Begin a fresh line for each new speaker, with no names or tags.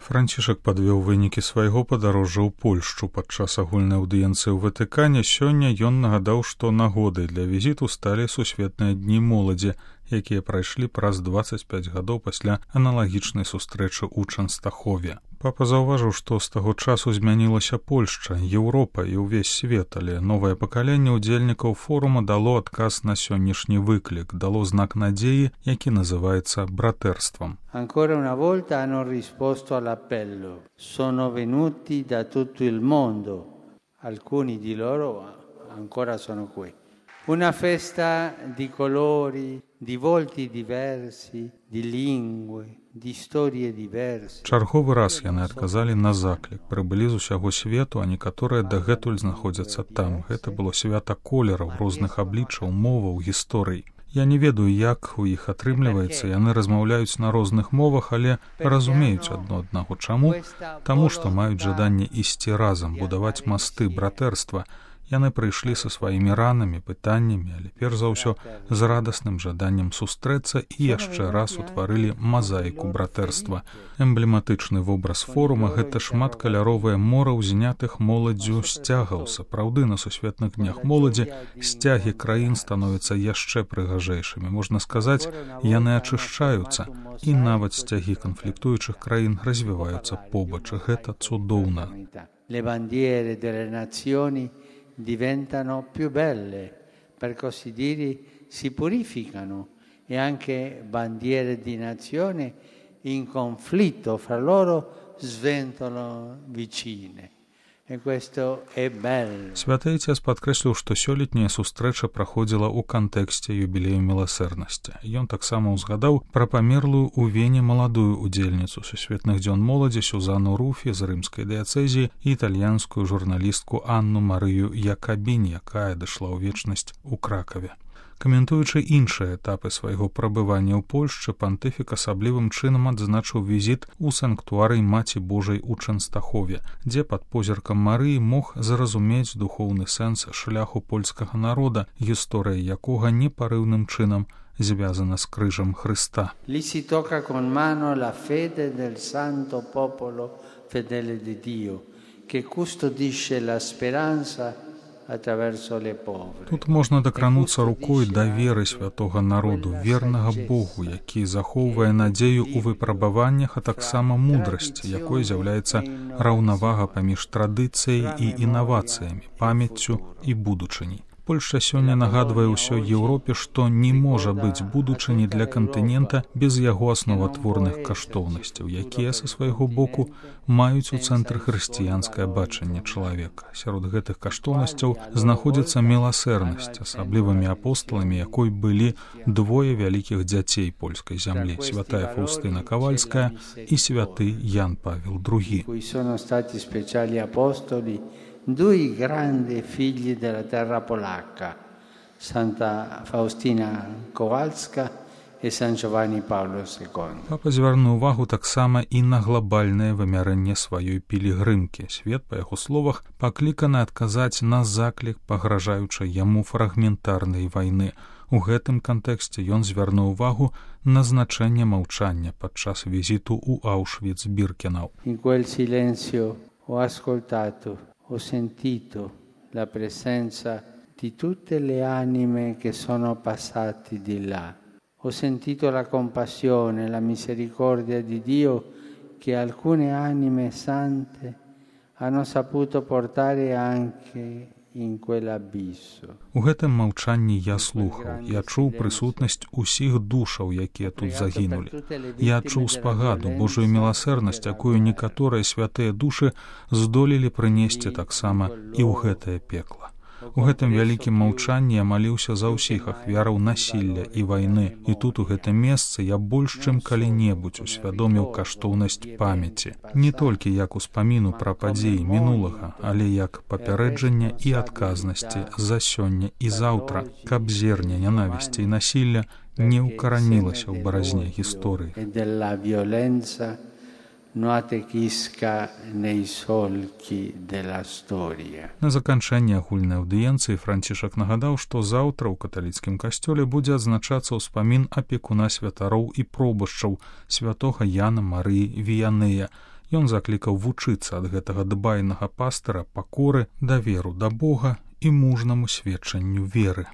Францішак падвёў вынікі свайго падарожжа ў Польшчу падчас агульнай аўдыенцыі ў Ватыкане. Сёння ён нагадаў, што нагодай для візіту сталі сусветныя дні моладзі, якія прайшлі праз 25 гадоў пасля аналагічнай сустрэчы ў Чэнстахове. Папа заўважыў, што з таго часу змянілася Польшча, Еўропа і ўвесь свет, але новае пакаленне ўдзельнікаў форума дало адказ на сённяшні выклік, дало знак надзеі, які называецца братэрствам.
Ancora una volta hanno risposto all'appello. Sono venuti da tutto il mondo. Alcuni di loro ancora sono qui. Una festa di colori, di volti diversi, di lingue, di storie diverse.
Чарговы раз яны адказалі на заклік. Прыбылі з усяго свету, а некаторыя дагэтуль знаходзяцца там. Гэта было свята колераў, розных абліччаў, моваў, гісторый. Я не ведаю, як у іх атрымліваецца. Яны размаўляюць на розных мовах, але разумеюць адно аднаго. Чаму? Таму, што маюць жаданне ісці разам, будаваць масты, братэрства. Яны прыйшлі са сваімі ранамі, пытаннямі, але перш за ўсё з радасным жаданнем сустрэцца і яшчэ раз утварылі мазаіку братэрства. Эмблематычны вобраз форума — гэта шматкаляровае мора ўзнятых моладдзю сцягаў. Сапраўды, на сусветных днях моладзі сцягі краін становяцца яшчэ прыгажэйшымі. Можна сказаць, яны ачышчаюцца, і нават сцягі канфліктуючых краін развіваюцца побач. Гэта цудоўна.
Diventano più belle, per così dire, si purificano e anche bandiere di nazione in conflitto fra loro sventolano vicine. E questo è bello.
Святы Отец падкрэсліў, што сёлетняя сустрэча праходзіла ў кантэксце юбілею міласэрнасці. Ён таксама ўзгадаў пра памерлую ў Вене маладую удзельніцу сусветных дзён моладзі Сюзанну Руфі з рымскай дыяцэзіі і італьянскую журналістку Анну Марыю Якабінь, якая дайшла ў вечнасць у Кракаве. Каментуючы іншыя этапы свайго прабывання ў Польшчы, пантыфік асаблівым чынам адзначыў візіт у санктуарый Маці Божай у Чэнстахове, дзе пад позіркам Марыі мог зразумець духоўны сэнс шляху польскага народа, гісторыя якога непарыўным чынам звязана з крыжам Хрыста.
Lì si tocca con mano la fede del santo popolo fedele di Dio, che custodisce la speranza.
Тут можна дакрануцца рукой да веры святога народу, вернага Богу, які захоўвае надзею ў выпрабаваннях, а таксама мудрасці, якой з'яўляецца раўнавага паміж традыцыяй і інавацыямі, памяццю і будучыняй. Польшча сёння нагадвае ўсёй Еўропе, што не можа быць будучыні для кантынента без яго асноватворных каштоўнасцяў, якія са свайго боку маюць у цэнтры хрысціянскае бачанне чалавека. Сярод гэтых каштоўнасцяў знаходзіцца міласэрнасць, асаблівымі апостоламі якой былі двое вялікіх дзяцей польскай зямлі — святая Фаўстына Кавальская і святы Ян Павел II.
Due grandi figli della terra polacca, Santa Faustina Kowalska і Сан Джованні Павло II.
Папа звярнуў увагу таксама і на глобальнае вымярэнне сваёй пілігрымкі. Свет, па яго словах, пакліканы адказаць на заклік, пагражаючы яму фрагментарнай вайны. У гэтым кантэксце ён звярнуў увагу на значэнне маўчання падчас візіту ў Аўшвіц-Біркенау.
In quel silenzio ho ascoltato, ho sentito la presenza di tutte le anime che sono passate di là. Ho sentito la compassione, la misericordia di Dio che alcune anime sante hanno saputo portare anche in quell'abisso.
У гэтым маўчанні я слухаў, я чуў прысутнасць усіх душаў, якія тут загінулі. Я адчуў спагаду, Божую міласэрнасць, якую некаторыя святыя душы здолелі прынесці таксама і ў гэтае пекла. У гэтым вялікім маўчанні я маліўся за ўсіх ахвяраў насілля і вайны, і тут у гэтым месцы я больш чым калі-небудзь усвядоміў каштоўнасць памяці. Не толькі як успаміну пра падзеі мінулага, але як папярэджання і адказнасці за сёння і заўтра, каб зерне нянавісці і насілля не ўкаранілася ў баразне гісторыі. На заканчэнне агульнай аўдыенцыі Францішак нагадаў, што заўтра ў каталіцкім касцёле будзе адзначацца ўспамін апекуна святароў і пробашчаў святога Яна Марыі Віянея, Ён заклікаў вучыцца ад гэтага дбайнага пастыра пакоры, даверу да Бога і мужнаму сведчанню веры.